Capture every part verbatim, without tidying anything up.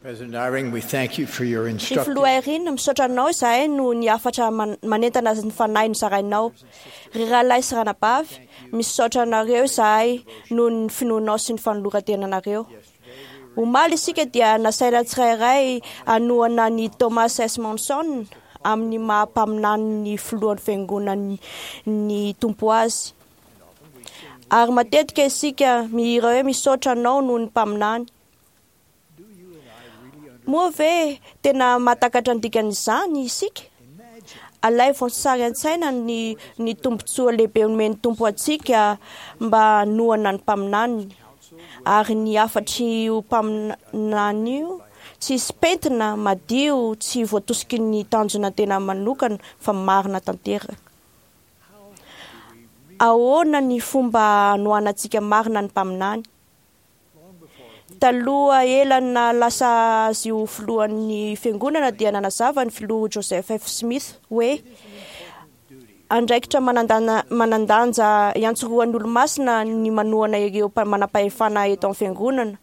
President Eyring, we thank you for your Ry instructive filoha Eyring, misaotra anao izahay noho ny hafatra man- manentana ny fanahy nozarainao. Ry rahalahy sy ranabavy, misaotra anareo izahay noho ny finoanao sy ny fanoloran-tenanareo. Omaly isika dia nasaina tsirairay hanohana ny Thomas S. Monson amin'ny maha mpaminany filohan'ny fiangonan'ny ny Tompo azy. Ary matetika isika mihira hoe misaotra anao noho ny mpaminany. Moa ve tena mahatakatra ny dikan'izany isika? Alaivo sary an-tsaina ny ny tombontsoa lehibe omen'ny Tompo antsika mba hanohana ny mpaminaniny. Ary ny hafatr'io mpaminany io tsisy pentina, madio, tsy voatosiky ny tanjona tena manokana fa marina tanteraka. Ahoana ny fomba hanohanantsika marina ny mpaminany? Taloha ela na lasa azy ho filohan'ny fiangonana dia nanazava ny filoha Joseph F. Smith hoe andraikitra manandana- manan-danja iantsorohan'ny olomasina ny manohana ireo mpa- manam-pahefana eto amin'ny fiangonana.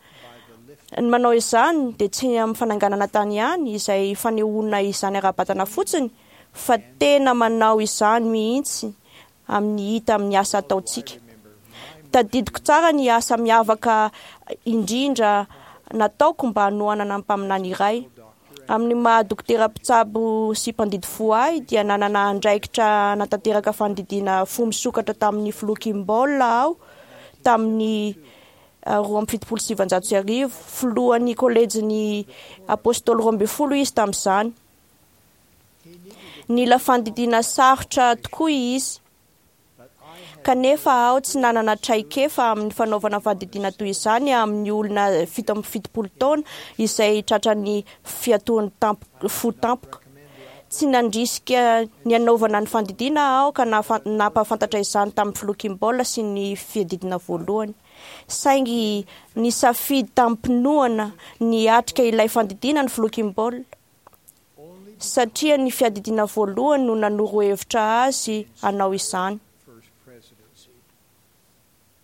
Ny manao izany dia tsy amin'ny fananganana tany ihany izay fanehoana izany ara-batana fotsiny fa tena manao izany mihitsy amin'ny hita amin'ny asa ataontsika. Tadidiko tsara ny asa miavaka indrindra nataoko mba hanohanana ny mpaminany iray. Amin'ny maha dokotera mpitsabo sy mpandidy fo ahy dia nanana andraikitra natanteraka fandidiana fo misokatra tamin'ny filoha Kimball aho tamin'ny ah, roa amby fitopolo sy sivanjato sy arivo. Filohan'ny kolejin'ny apôstôly roa ambin'ny folo izy tamin'izany. Nila fandidiana sarotra tokoa izy. Kanefa aho tsy nanana traikefa amin'ny fanaovana fandidiana toy izany amin'ny olona fito amby fitopolo taona izay tratran'ny fiatoan'ny tamp- fo tampoka. Tsy nandrisika ny hanaovana ny fandidiana aho ka nafa- nampahafantatra izany tamin'ny filoha Kimball sy ny fiadidiana voalohany. Saingy nisafidy tamim-pinoana ny hiatrika ilay fandidiana ny filoha Kimball satria ny fiadidiana voalohany no nanoro hevitra azy hanao izany. First Presidency.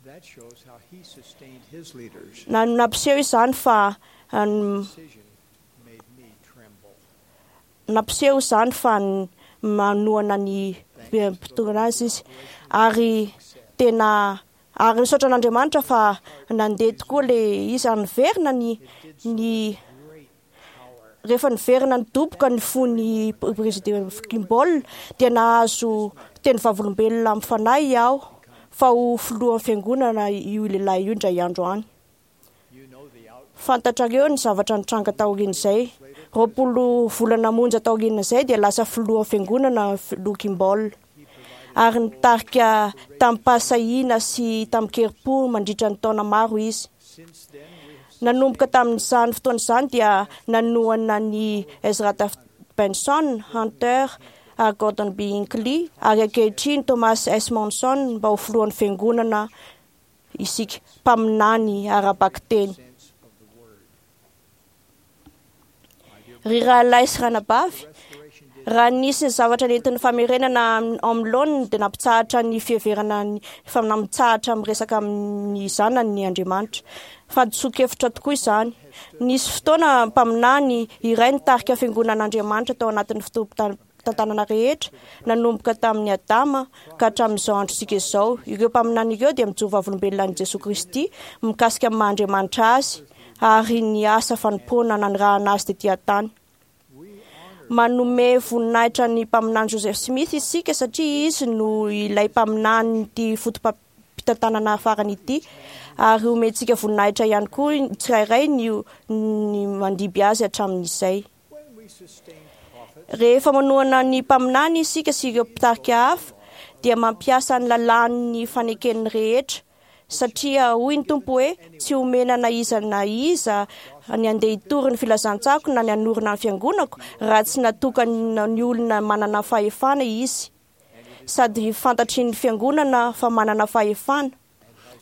That shows how he sustained his leaders. Na nampiseho izany fa um, Decision made me tremble. nampiseho izany fa n- manohana ny mpitondra azy izy ary tena ary nisaotra an'Andriamanitra fa nandeha tokoa le izy ary niverina ny ny Great power. rehefa niverina nidoboka ny fon'ny président Kimball dia nahazo teny vavolombelona amin'ny fanahy aho fa ho filohan'ny fiangonana io lehilahy io indray andro any. You know the outcome. Fantatrareo ny zavatra nitranga taorian'izay. Roapolo volana monja taorian'izay dia lasa filohan'ny fiangonana filoha Kimball. Ary nitarika tamim-pahasahiana sy tamin-kerim-po mandritra ny taona maro izy. Since then, we have Nanomboka tamin'izany fotoana izany dia nanohana ny Ezra Taft Benson, Hunter, ary Gordon B. Hinckley ary ankehitriny Thomas S. Monson mba ho filohan'ny fiangonana isika mpaminany ara-bakiteny. sense of the word. Ry rahalahy sy ranabavy, Restoration did raha nisy ny zavatra nentin'ny famerenana am- amin'ny laoniny dia nampitsahatra ny fiheverana ny fa nampitsahatra miresaka amin'ny zanany ny Andriamanitra. Fahadisoan-kevitra tokoa izany. Nisy fotoana mpaminany iray nitarika fiangonan'Andriamanitra tao anatin'ny fotoam-pitantanana rehetra, nanomboka tamin'ny Adama ka hatramin'izao androntsika izao. Ireo mpaminany ireo dia mijoro vavolombelona an'i Jesoa Kristy mikasika amin'ny maha Andriamanitra azy ary ny asa fanompoana nanirahana azy tetỳ an-tany. we honor Manome voninahitra ny mpaminany Joseph Smith isika satria izy no ilay mpaminany foto-pitantanana farany ity ary omentsika voninahitra ihany koa ny tsirairay ny ny mandimby azy hatramin'izay. when we sustain prophets Rehefa manohana ny mpaminany isika sy ireo mpitarika hafa dia mampiasa ny lalàn'ny faneken'ny rehetra satria hoy ny Tompo hoe tsy omena na iza na iza ny andeha hitory ny filazantsako na ny hanorina ny fiangonako raha tsy natokana ny olona manana fahefana izy sady fantatry ny fiangonana fa manana fahefana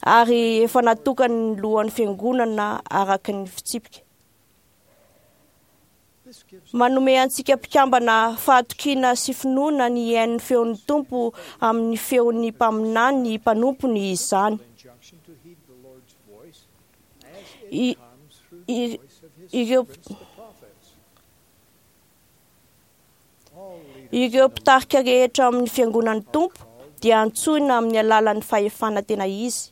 ary efa natokany ny lohan'ny fiangonana araka ny fitsipika. This gives Manome antsika mpikambana fahatokiana sy finoana ny hihaino ny feon'ny Tompo amin'ny feon'ny mpaminany mpanompony izany. injunction to heed the Lord's voice as I- it comes through the i- voice of Ireo ireo mpitarika rehetra amin'ny fiangonan'ny Tompo dia antsoina amin'ny alalan'ny fahefana tena izy.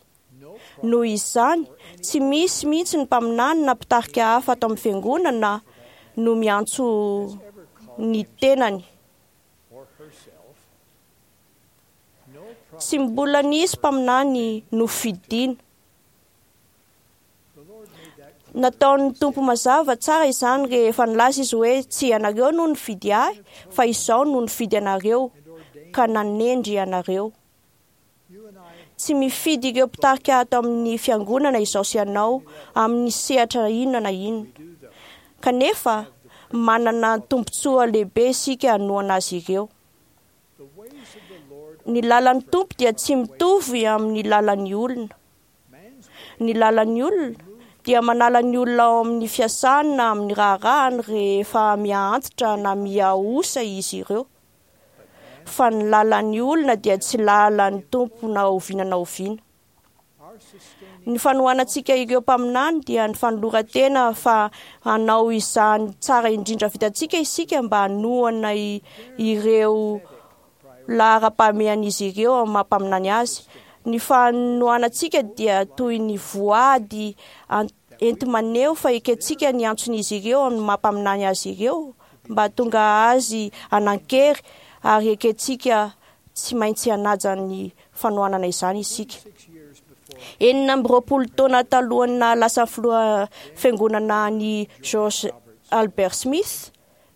Noho izany, tsy misy mihitsy ny mpaminany na mpitarika hafa ato amin'ny fiangonana no miantso ny tenany. Tsy mbola nisy mpaminany nofidina. Nataon'ny Tompo mazava tsara izany rehefa nilaza izy hoe tsy ianareo no nifidy ahy fa izaho no nifidy anareo ka nanendry anareo. Tsy mifidy ireo mpitarika ato amin'ny fiangonana izaho sy ianao amin'ny sehatra inona na inona. Kanefa manana tombontsoa lehibe isika hanohana azy ireo. Ny lalan'ny Tompo dia tsy mitovy amin'ny lalan'ny olona. Ny lalan'ny olona dia manala ny olona ao amin'ny fiasany na amin'ny raharahany rehefa miha-antitra na miha-osa izy ireo. Fa ny lalan'ny olona dia tsy lalan'ny Tompo na oviana na oviana. Ny fanohanantsika ireo mpaminany dia ny fanoloran-tena fa hanao izany tsara indrindra vitantsika isika mba hanohana ireo laharam-pahamehan'izy ireo amin'ny maha mpaminany azy. Ny fanohanantsika dia toy ny voady enti-maneho fa ekentsika ny antson'izy ireo amin'ny maha mpaminany azy ireo mba tonga azy hanan-kery ary ekentsika tsy maintsy hanaja ny fanohanana izany isika. Enina amby roapolo taona talohan'ny nahalasa filoha fiangonana ny George Albert Smith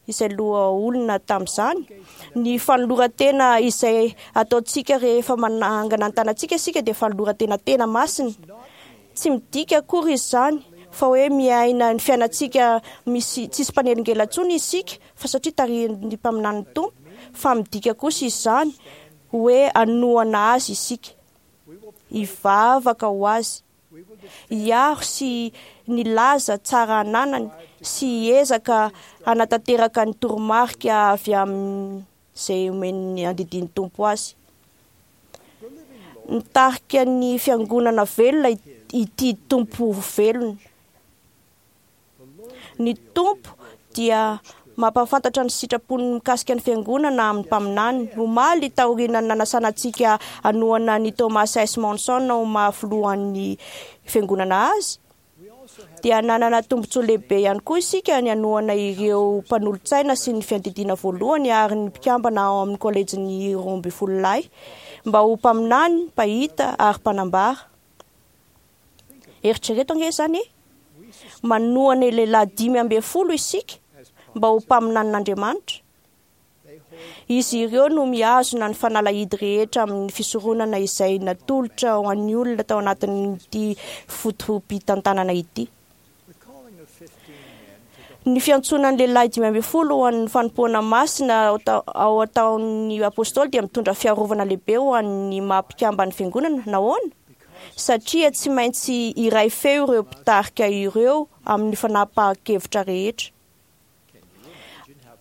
izay loha olona tamin'izany, ny fanoloran-tena izay ataontsika rehefa manangana ny tanantsika isika dia fanoloran-tena tena masina. Tsy midika akory izany fa hoe miaina ny fiainantsika misy tsisy mpanelingelina intsony isika fa satria tarihin'ny mpaminanin'ny Tompo, fa midika kosa izany hoe hanohana azy isika, hivavaka ho azy, hiaro sy nilaza tsara ananany sy hiezaka hanatanteraka ny toromarika avy amin'izay omen'ny andidian'ny Tompo azy. Nitarika ny fiangonana velona ity Tompo velona. Ny Tompo dia mampahafantatra ny sitrapony mikasika ny fiangonana amin'ny mpaminany. Omaly taorian'ny nanasana antsika hanohana ny Thomas S. Monson ho maha filohan'ny fiangonana azy, dia nanana tombontsoa lehibe ihany koa isika ny hanohana ireo mpanolotsaina sy ny fiadidiana voalohany ary ny mpikambana ao amin'ny kolejin'ny roa ambin'ny folo lahy mba ho mpaminany, mpahita ary mpanambara. Eritrereto ange izany e! Manohana lehilahy dimy ambin'ny folo isika mba ho mpaminanin'Andriamanitra. Izy ireo no mihazona ny fanalahidy rehetra amin'ny fisoronana izay natolotra ho an'ny olona tao anatin'ity foto-pitantanana ity. Ny fiantsoana ny lehilahy dimy ambin'ny folo ho an'ny fanompoana masina ao ataon'ny apôstôly dia mitondra fiarovana lehibe ho an'ny maha mpikamban'ny fiangonana. Nahoana? Satria tsy maintsy iray feo ireo mpitarika ireo amin'ny fanapahan-kevitra rehetra.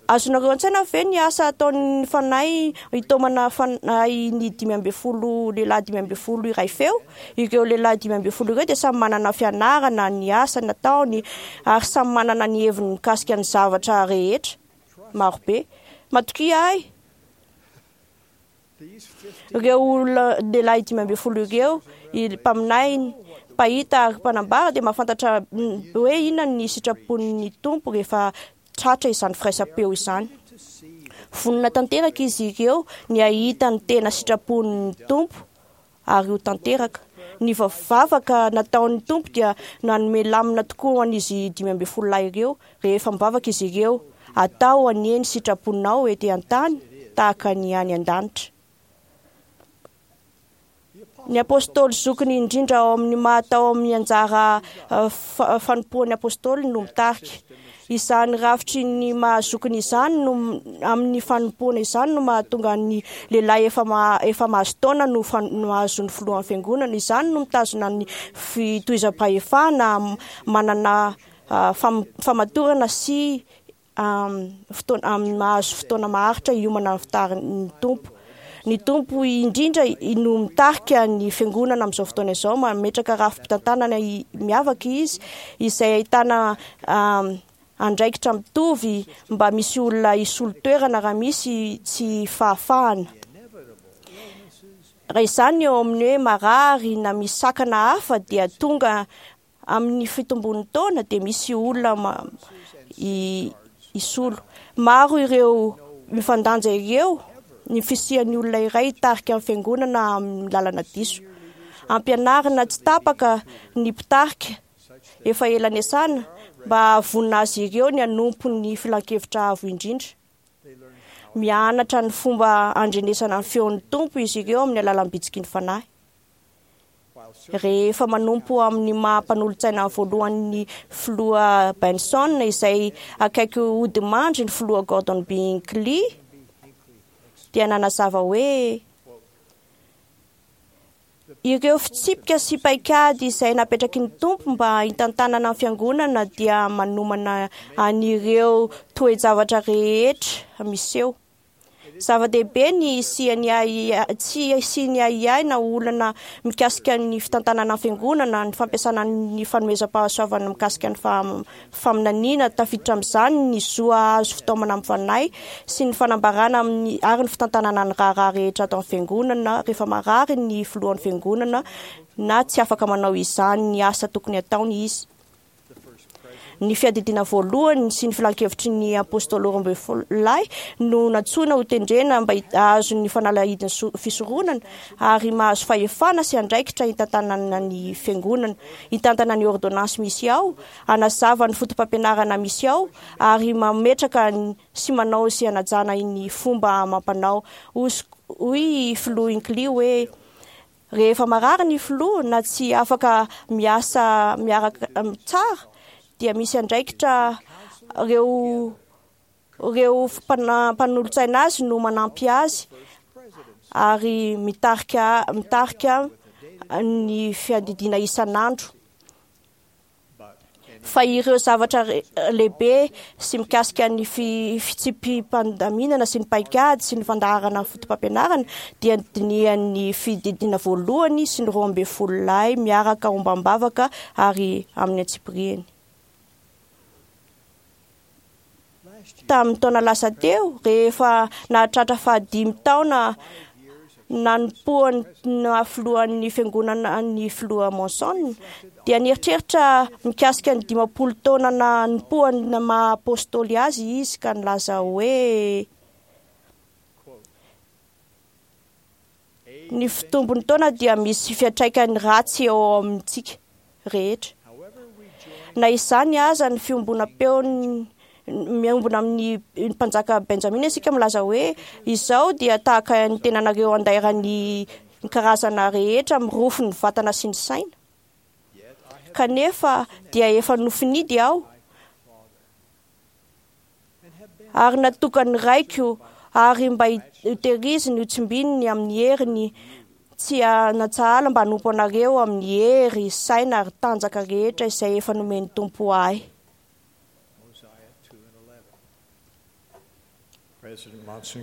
Azonareo an-tsaina ve ny asa ataon'ny fanahy hitaomana fanahy ny dimy ambin'ny folo lehilahy dimy ambin'ny folo iray feo? Ireo lehilahy dimy ambin'ny folo ireo dia samy manana fianarana ny asa nataony ary samy manana ny heviny mikasika ny zavatra rehetra marobe. Matokia ahy, ireo olona lehilahy dimy ambin'ny folo ireo, mpaminany, mpahita ary mpanambara dia mahafantatra hoe inona ny sitrapon'ny Tompo rehefa tratra izany firaisam-peo izany. Vonona tanteraka izy ireo ny hahita ny tena sitrapon'ny Tompo ary ho tanteraka. Ny vavaka nataon'ny Tompo dia nanome lamina tokoa ho an'izy dimy ambin'ny folo lahy ireo. Rehefa mivavaka izy ireo, atao anie ny sitraponao ety an-tany tahaka ny any an-danitra. Ny apôstôly zokiny indrindra ao amin'ny maha tao amin'ny anjara fanompoan'ny apôstôly no mitarika. Izany rafitry ny maha zokiny izany no amin'ny fanompoana izany no mahatonga ny lehilahy efa efa mahazo taona no mahazo ny filohan'ny fiangonana. Izany no mitazona ny fitohizam-pahefana, manana famatorana sy fotoana mahazo fotoana maharitra hiomana ny fitarin'ny Tompo. Ny Tompo indrindra no mitarika ny fiangonana amin'izao fotoana izao. Mametraka rafi-pitantanana miavaka izy izay ahitana andraikitra mitovy mba misy olona hisolo toerana raha misy tsy fahafahana. Raha izany eo amin'ny hoe marary na misy sakana hafa dia tonga amin'ny fitombon'ny taona dia misy olona hisolo. Maro ireo mifandanja ireo ny fisian'ny olona iray hitarika ny fiangonana amin'ny lalana diso. Ampianarina tsy tapaka ny mpitarika efa ela niasana mba hahavonona azy ireo ny hanompo ny filankevitra avo indrindra. Mianatra ny fomba andrenesana ny feon'ny Tompo izy ireo amin'ny alalan'ny bitsiky ny Fanahy. Rehefa manompo amin'ny maha mpanolotsaina voalohany filoha Benson izay akaiky hodimandry ny filoha Gordon B. Hinckley dia nanazava hoe ireo fitsipika sy paikady izay napetraky ny Tompo mba hitantanana ny fiangonana dia manomana an'ireo toe-javatra rehetra miseho. Zava-dehibe ny hisian'ny ahiahy, tsy hisian'ny ahiahy na olana mikasika ny fitantanana ny fiangonana, ny fampiasana ny fanomezam-pahasoavana mikasika ny faminaniana, tafiditra amin'izany ny zo hahazo fitaomana amin'ny fanahy sy ny fanambarana amin'ny ary ny fitantanana ny raharaha rehetra ato amin'ny fiangonana rehefa marary ny filohan'ny fiangonana na tsy afaka manao izany ny asa tokony hataony izy. Ny fiadidiana voalohany sy ny filankevitry ny apôstôly roa ambin'ny folo lahy no nantsoina ho tendrena mba hahazo ny fanalahidin'ny fisoronana ary mahazo fahefana sy andraikitra hitantanana ny fiangonana, hitantana ny ordonnance misy ao, hanazava ny fotopampianarana misy ao ary mametraka sy manao sy hanajana ny fomba amam-panao. Hoy filoha Hinckley hoe rehefa marary ny filoha na tsy afaka miasa miaraka tsara dia misy andraikitra ireo ireo mpanolotsaina azy no manampy azy ary mitarika mitarika ny fiadidiana isan'andro. Fa ireo zavatra lehibe sy mikasika ny fitsipi-pandaminana sy ny paikady sy ny fandaharana ny fotopampianarana dia dinihan'ny fididiana voalohany sy ny roa ambin'ny folo lahy miaraka ombam-bavaka ary amin'ny antsipiriany. Tamin'ny taona lasa teo, rehefa nahatratra fahadimy taona nanompoany filohan'ny fiangonana ny filoha Monson dia nieritreritra mikasika ny dimampolo taona nanompoany maha apôstôly azy izy ka nilaza hoe ny fitombon'ny taona dia misy fiantraikany ratsy eo amintsika rehetra. Na izany aza ny fiombonam-peony miombona amin'ny mpanjaka Benjamin isika milaza hoe izao dia tahaka ny tenanareo andairan'ny karazana rehetra mirofo ny vatana sy ny saina. Kanefa dia efa nofinidy aho ary natokany raiko ary mba hitehiriziny ho tsimbininy amin'ny heriny tsy natsahala mba hanompo anareo amin'ny hery, saina ary tanjaka rehetra izay efa nomen'ny Tompo ahy.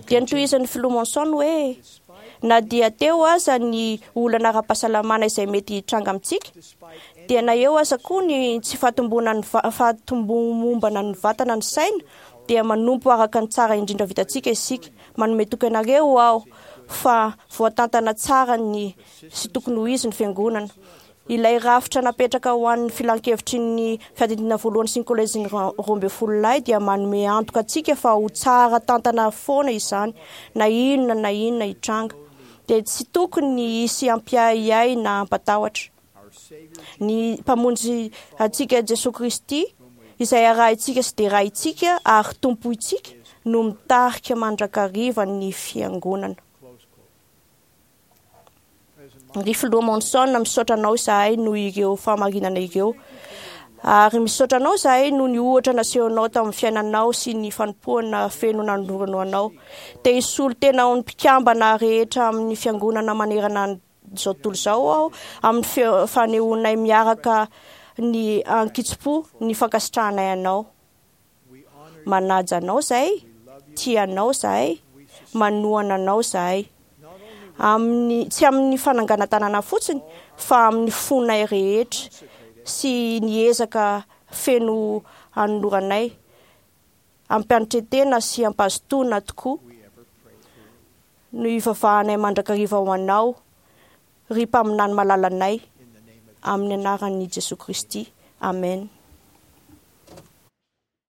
Dia nitohizan'ny filoha Monson hoe na dia teo aza ny olana ara-pahasalamana izay mety hitranga amintsika dia na eo aza koa ny tsy fahatombonan'ny fahatombomombana ny vatana ny saina dia manompo araka ny tsara indrindra vitantsika isika. Manome toky anareo aho fa voatantana tsara ny sy tokony ho izy ny fiangonana. Ilay rafitra napetraka ho an'ny filankevitry ny fiadidiana voalohany sy ny kolejin'ny roa ambin'ny folo lahy dia manome antoka antsika fa ho tsara tantana foana izany na inona na inona hitranga. Dia tsy tokony hisy hampiahiahy na hampatahotra. Ny mpamonjy antsika Jesoa Kristy izay arahintsika sy derahintsika ary tompointsika no mitarika mandrakariva ny fiangonana. Ry filoha Monson, misaotra anao izahay noho ireo fahamarinana ireo. Ary misaotra anao izahay noho ny ohatra nasehonao tamin'ny fiainanao sy ny fanompoana feno nanoloranao anao. Te hisolo tena ho ny mpikambana rehetra amin'ny fiangonana manerana izao tontolo izao aho amin'ny fanehoanay miaraka ny ankitsim-po ny fankasitrahanay anao. Manaja anao izahay, tia anao izahay, manohana anao izahay. Amin'ny, tsy amin'ny fananganan-tanana fotsiny, fa amin'ny fonay rehetra sy ny ezaka feno anoloranay, ampianatretena sy ampazotoana tokoa we ever pray for you. No ivavahanay mandrakariva ho anao, ry mpaminany malalanay, In the name of amin'ny anaran'i Jesosy Kristy. Amen.